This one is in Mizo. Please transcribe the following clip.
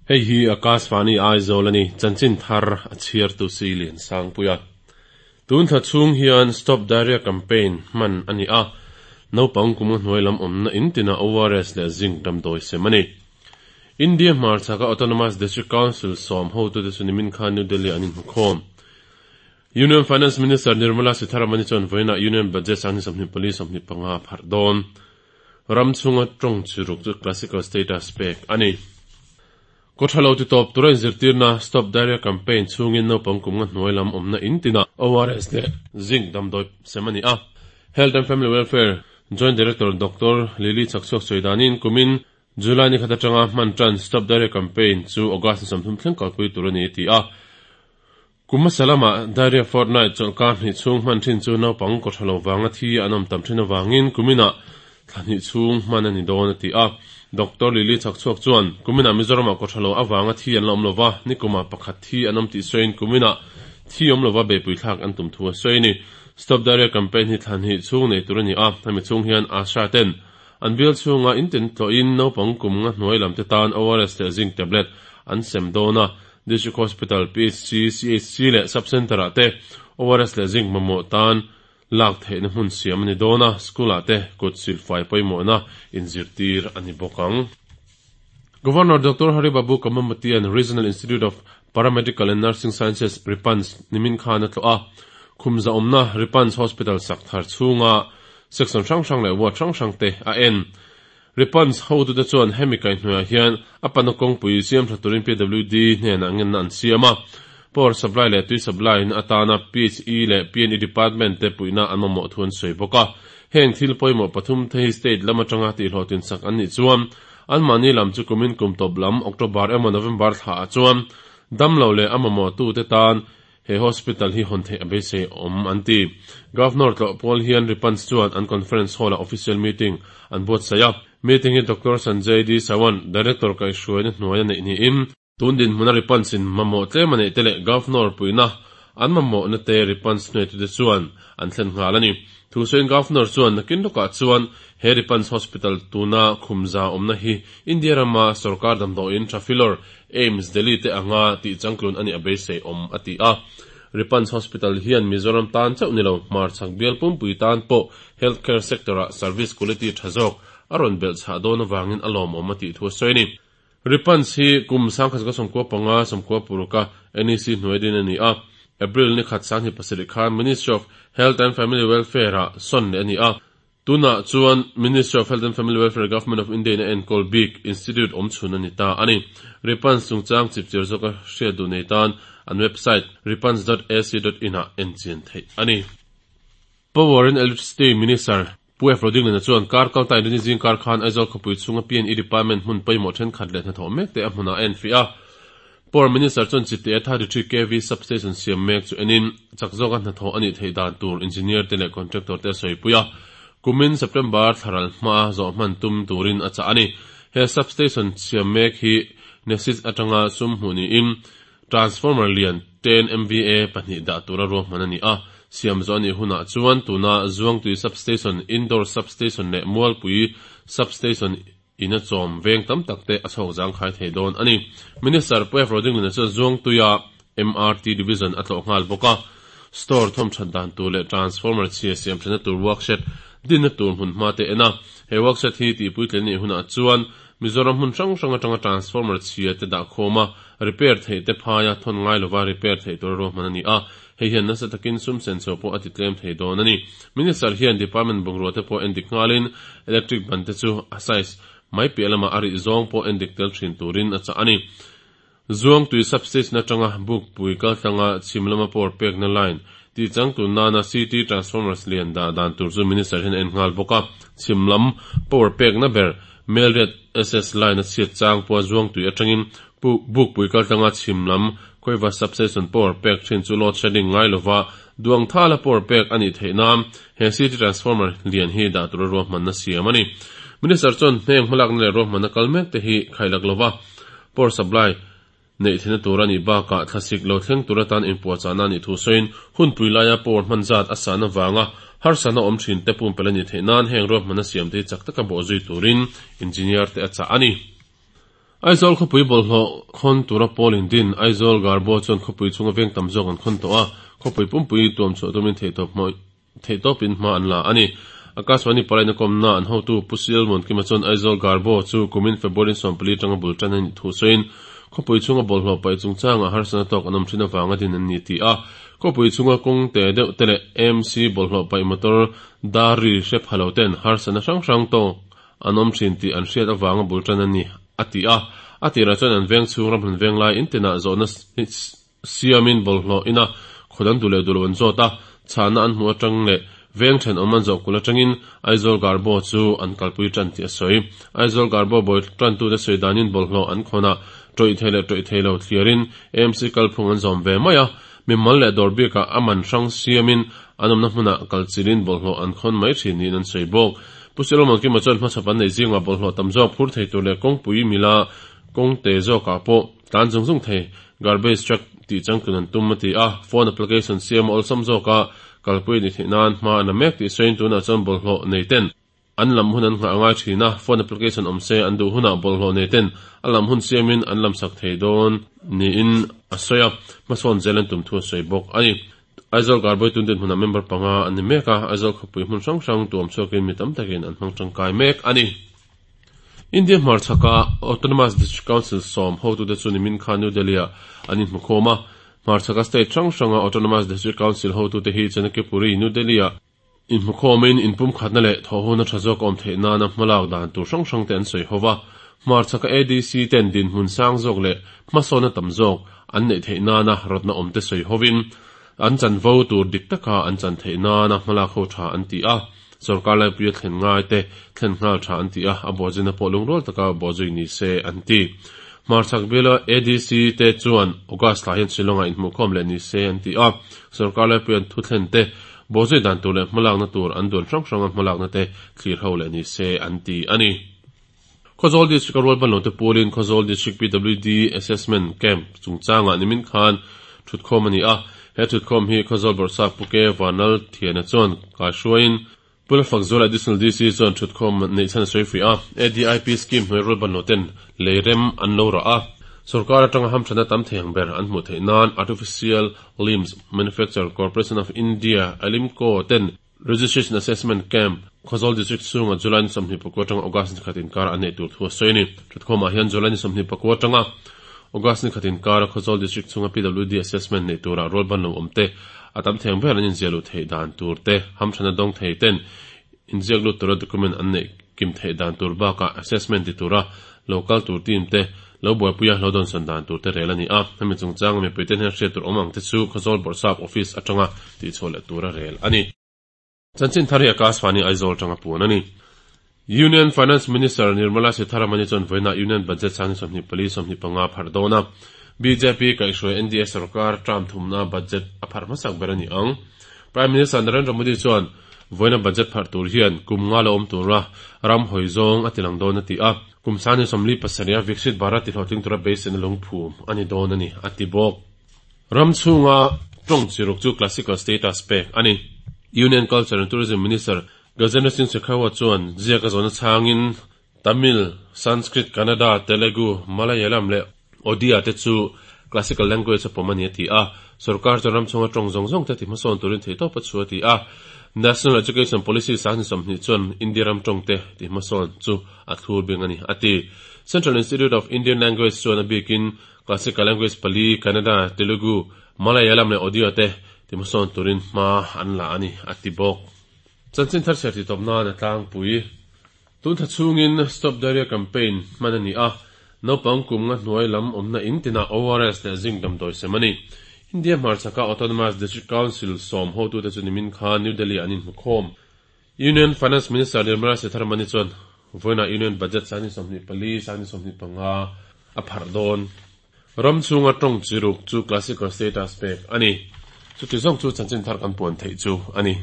Hei hi Akashvani Aizawl a ni, chanchin thar a chhiartu si Liansangpuia. Tun thla chhung hian Stop Diarrhea Campaign hman a ni a, naupang kum a hnuai lam awmna in tinah ORS leh zinc damdawi sem a ni. India hmarchhaka Autonomous District Council sawm hotute chu nimin khan New Delhi-ah an inhmukhawm. Union Finance Minister Nirmala Sitharaman-i chuan vawiinah Union Budget 2024 25 a pharh dawn. Ram chhunga tawng chi ruk chu classical status pek a ni. Kawthalo ti tawp tura inzirtirna Stop Diarrhea Campaign chhungin naupang kum nga hnuai lam awmna in tinah ORS leh Zinc damdawi sem a ni a. Health and Family Welfare Joint Director Doctor Lily Chakchhuak sawi danin kumin July ni khat atanga hman tan Stop Diarrhea Campaign chu August ni 30 thleng kalpui tur a ni a ti a. Kum hmasa lama Diarrhea Fortnight chawlhkar hnih chhung hman thin chu naupang kawtha lo vanga thi an awm tam thin avangin kuminah thla hnih chhung hman a ni dawn a ti a. Doctor Lily Chhakchhuak chuan, Kuminah Mizoramah kawtha lo avanga thi an la awm lova, nikumah pakhat thi an awm tih sawiin kuminah thi awm lova beihpui thlak an tum thu a sawi a ni. Stop Diarrhea Campaign hi thla hnih chhung nei tur a ni a, hemi chhung hian ASHA ten an bial chhunga in tin tlawhin naupang kum nga hnuai lam te tan ORS leh Zinc tablet an sem dawn a, District Hospital, PHC, CHC leh Sub Centre ah te ORS leh Zinc mamawh tan lak theihna hmun siam a ni dawn a, School ah te kut silfai pawimawhna inzirtir a ni bawk ang. Governor Doctor Hari Babu Kamamatian Regional Institute of Paramedical and Nursing Sciences, RIPANS, nimin khan a tlawh a, khum zahawmna RIPANS Hospital sak thar chhunga section hrang hrang leh ward hrang hrang te a en. Ripans hotute chuan hemi kaihhnuaiah hian a pana kawngpui siam tha turin PWD hnenah ngenna an siam a. Power supply leh tui supply in atana PHE leh PNE department te puihna an mamawh thu an sawi bawk a. Heng thil pawimawh pathum te hi state lam atanga tihhlawhtlin sak an nih chuan anmahni lam chu kumin kum tawp lam October emaw November thlaah chuan damlo leh a mamawhtute tan He hospital hi hawn theih a beisei awm an ti. Governor tlawh pawl hian Ripans chuan an conference hall ah official meeting an buatsaih a. Meeting hi Doctor Sanjay D Sawant, Director kaihhruaina hnuaia neih niin, tun dinhmuna Ripans in mamawh tlem a neih te leh Governor puihna an mamawhna te Ripans hnuaitute chuan an thlen nghal a ni. Thusawiin Governor chuan nakin lawkah chuan he Ripans Hospital tuna khumza awmna hi India rama sorkar damdawiin Trafilor AIIMS Delhi te anga tih changtlun a nih a beisei awm a ti a. Ripans Hospital hian Mizoram tan chauh ni lo, hmarchhak bial pumpui tan pawh healthcare sector ah service quality tha zawk a rawn belh chhah dawn avangin a lawmawm a tih thu a sawi a ni. Ripans hi kum 1995 90 a NEC hnuai din a ni a, April ni khat 2007 khan Ministry of Health and Family Welfare ah sawn leh a ni a. Tunah chuan Ministry of Health and Family Welfare Government of India in a enkawl bik Institute awm chhun a ni ta a ni. Ripans chungchang chipchir zawka hriat duh nei tan an website ripans dot ac dot in ah en chian theih a ni. Power and Electricity Minister Pu F. Rodingliana chuan kar kalta Inrini zing kar khan Aizawl khawpui chhunga PNE Department hmun pawimawh thenkhat leh hnathawh mek te a hmunah a enfiah a. Power Minister chuan Chite 33 kv Substation siam mek chu enin chak zawka hnathawh a nih theih dan tur Engineer te leh Contractor te a sawipui a, kumin September thlaral hmaa zawh hman tum turin a chah a ni. He Substation siam mek hi NESIS atanga sum hmuh niin Transformer lian 10 MVA pahnih dah tura ruahman a ni a, siam zawh a nih hunah chuan tuna Zuangtui Substation, Indoor Substation leh Mualpui Substation In a chawm veng tam tak te a chhawk zangkhai thei dawn a ni. Minister Pu F. Rodinglina chuan Zuangtuia MRT Division a tlawh nghal bawk a, store thawm that dan tur leh transformer chhia siam thatna tur workshed dinna tur hmun hma te en a. He workshed hi tihpuitlin a nih hunah chuan Mizoram hmun hrang hrang atanga transformer chhia te dah khawm a, repair theih te phaia thawn ngai lova repair theih tura ruahman a ni a. Hei hian nasa takin sum senso pawh a ti tlem thei dawn a ni. Minister hian department bungrua te pawh endik nghalin electric ban te chu a size mai piah lamah a rih zawng pawh endik tel thin turin a chah a ni. Zuangtui substation atanga Bukpui kaltlanga chhim lama power pekna line tih changtun nana CT transformers lian dah dan tur chu Minister hian a en nghal bawk a. Chhim lam power pekna ber Melriat SS line a chhiat chang pawha Zuangtui atangin Bukpui kaltlanga chhim lam Khawiva substation power pek thin chu load shedding ngai lova duang thala power pek a nih theih nan he CT transformer lian hi dah tura ruahmanna siam a ni. Minister chuan hneng hmalakna leh ruahmanna kal mek te hi khailak lova power supply neih theihna tur a nih bakah thlasik lo thleng tur atan inpuahchahna a nih thu sawiin hunpui laia power hman zat a sahna vanga harsatna awm thin te pumpelh a nih theih nan heng ruahmanna siam te hi chak taka bawhzui turin engineer te a chah a ni. Aizawl khawpui bawlhhlawh khawn tura pawl in din Aizawl Garbo chuan khawpui chhunga veng tam zawk an khawn tawh a, khawpui pumpui tuam chhuah tumin theihtawpin hma an la a ni. Akashvani Palaina kawmna an hotu Pu Silmon Kima chuan Aizawl Garbo chu kumin February 14 atanga bul tan a nih thu sawiin khawpui chhunga bawlhhlawh paih chungchangah harsatna tawk an awm thin avanga din an ni ti a. Khawpui chhunga kawng te deuh te leh AMC bawlhhlawh paih motor dar ri hre pha lo ten harsatna hrang hrang tawk an awm thin tih an hriat avanga bul tan a ni, a ti a. A tirah chuan an veng chhung ramhlun veng lai in tinah zawhna siamin bawlhhlawh ina khaw dang duh leh duh lo an zawt a, chhahna an hmuh atang leh veng thenawm an zawh kulh atangin Aizawl Garbo chu an kalpui tan tih a sawi. Aizawl Garbo bawi tantute sawi danin bawlhhlawh an khawnah tawih thei leh tawih thei lo thliarin AMC kalphung an zawm ve mai a, mimal leh dawr bikah a man hrang siamin an awmna hmunah kalchilhin bawlhhlawh an khawn mai thin niin an sawi bawk. Pu Solomon Kima chuan hmachhawp an neih zingah bawlhhlawh tam zawk phur thei tur leh kawngpui mila kawngte zawkah pawh tlan zung zung thei garbage truck tih changtlun an tum a ti a, phone application siam a awlsam zawka kalpui a ni theih nan hma an la mek tih sawiin tunah chuan bawlhhlawh nei ten an lam hun an nghah a ngai thin a, phone application awm se an duh hunah bawlhhlawh nei ten a lam hun siamin an lam sak thei dawn niin a sawi a, hmasawn zel an tum thu a sawi bawk a ni. Aizawl Garboi tun dinhmunah member panga an ni mek a, Aizawl khawpui hmun hrang hrang tuam chhuakin mi tam takin an hmang tangkai mek a ni. India hmarchhaka Autonomous District Council sawm hotute chu nimin khan New Delhi-ah an inhmukhawm a. Hmarchhaka state hrang hranga Autonomous District Council hotute hi Chanakyapuri, New Delhi-ah inhmukhawmin inpumkhatna leh thawhhona tha zawk a awm theih nana hmalak dan tur hrang hrangte an sawi ho va. Hmarchhaka ADC ten dinhmun sang zawk leh hmasawnna tam zawk an neih theih nana rawtna awmte sawi hovin an chanvo tur dik taka an chan theih nana hmalak ho tha an ti a. Sorkar laipuia thlen ngai te thlen nghal tha an ti a, a bawhzina pawh lungrual taka bawhzui ni se an ti. Hmarchhak biala ADC te chuan August thla hian Shillong-ah inhmuhkhawm leh ni se an ti a, sorkar laipuia an thutthlen te bawhzui dan tur leh hmalakna tur an duan hrang hranga hmalakna te thlir ho leh ni se an ti a ni. Khawzawl District-a rualbanlo te pawlin Khawzawl District PWD Assessment Camp chungchangah nimin khan thutkhawm a ni a. He thutkhawm hi Khawzawl Bawrhsap Pu Ke Vanlal Thiana chuan kaihruaiin Pu Lalfakzuala Additional DC chuan thutkhawm neih chhan a sawi fuih a. ADIP scheme hnuai rualbanlo ten lei rem an lo rah a. Sorkar atanga hamthatna tam thei ang ber an hmuh theih nan Artificial Limbs Manufacture Corporation of India, ALIMCO, ten Registration Assessment Camp, Khawzawl District chhungah July ni 24 atanga August ni khat inkar an neih tur thu a sawi a ni. Thutkhawmah hian July ni 24 atanga August ni khat inkara Khawzawl District chhunga PWD Assessment neih turah rualban lo awm te, a tam theng ber an inziah luh theih dan tur te, hamthana dawng thei ten inziak lut tura document an neih kim theih dan tur bakah assessment ti tura lo kal tur team te lo buaipuia lo dawnsawn dan tur te rel a ni a. Hemi chungchanga mipuite hian hriat tur awm ang te chu Khawzawl Bawrhsap Office atanga tihchhuah leh tura rel a ni. Chanchin thar hi Akashvani Aizawl atanga puan a ni. Union Finance Minister Nirmala Sitharaman-i chuan vawiinah Union Budget sang 24 25 pharh dawn a. Bjp kaihhruai NDA sorkar term thumna budget a pharh hmasak ber a ni ang. Prime Minister Narendra Modi chuan vawiina budget pharh tur hian kum nga la awm tura ram hawi zawng a tilang dawn a ti a. Kum sangni 47 a Viksit Bharat tihlawhtling tura beiseina lungphum a ni dawn a ni, a ti bawk. Ram chhunga tawng chiruk chu classical status pek a ni. Union Culture and Tourism Minister Gajendra Singh Shekhawat chuan ziak a zawhna chhangin Tamil, Sanskrit, Kannada, Telugu, Malayalam leh Odia te chu classical language a pawm a ni a ti a. Sorkar chuan ram chhunga tawng zawng zawng te ti hmasawn turin theihtawp a chhu a ti a. National Education Policy 2020 chuan India ram tawng te ti hmasawn chu a thlur bing a ni a ti. Central Institute of Indian Language chuan a bikin classical language pali, Kannada, Telugu, Malayalam leh Odia te ti hmasawn turin hma an la a ni a ti bawk. Chanchin thar chhiar tih tawp nan a tlangpui. Tun thla chhungin Stop Diarrhea Campaign hman a ni a, naupang kum nga hnuai lam awmna in tinah ORS leh zinc damdawi sem a ni. India hmarchhaka Autonomous District Council sawm hotute chu nimin khan New Delhi-ah an inhmukhawm. Union Finance Minister Nirmala Sitharaman-i chuan vawiinah Union Budget 2024, 2025 a pharh dawn. Ram chhunga tawng chi ruk chu classical status pek a ni. Chuti zawng chu chanchin thar kan puan theih chu a ni.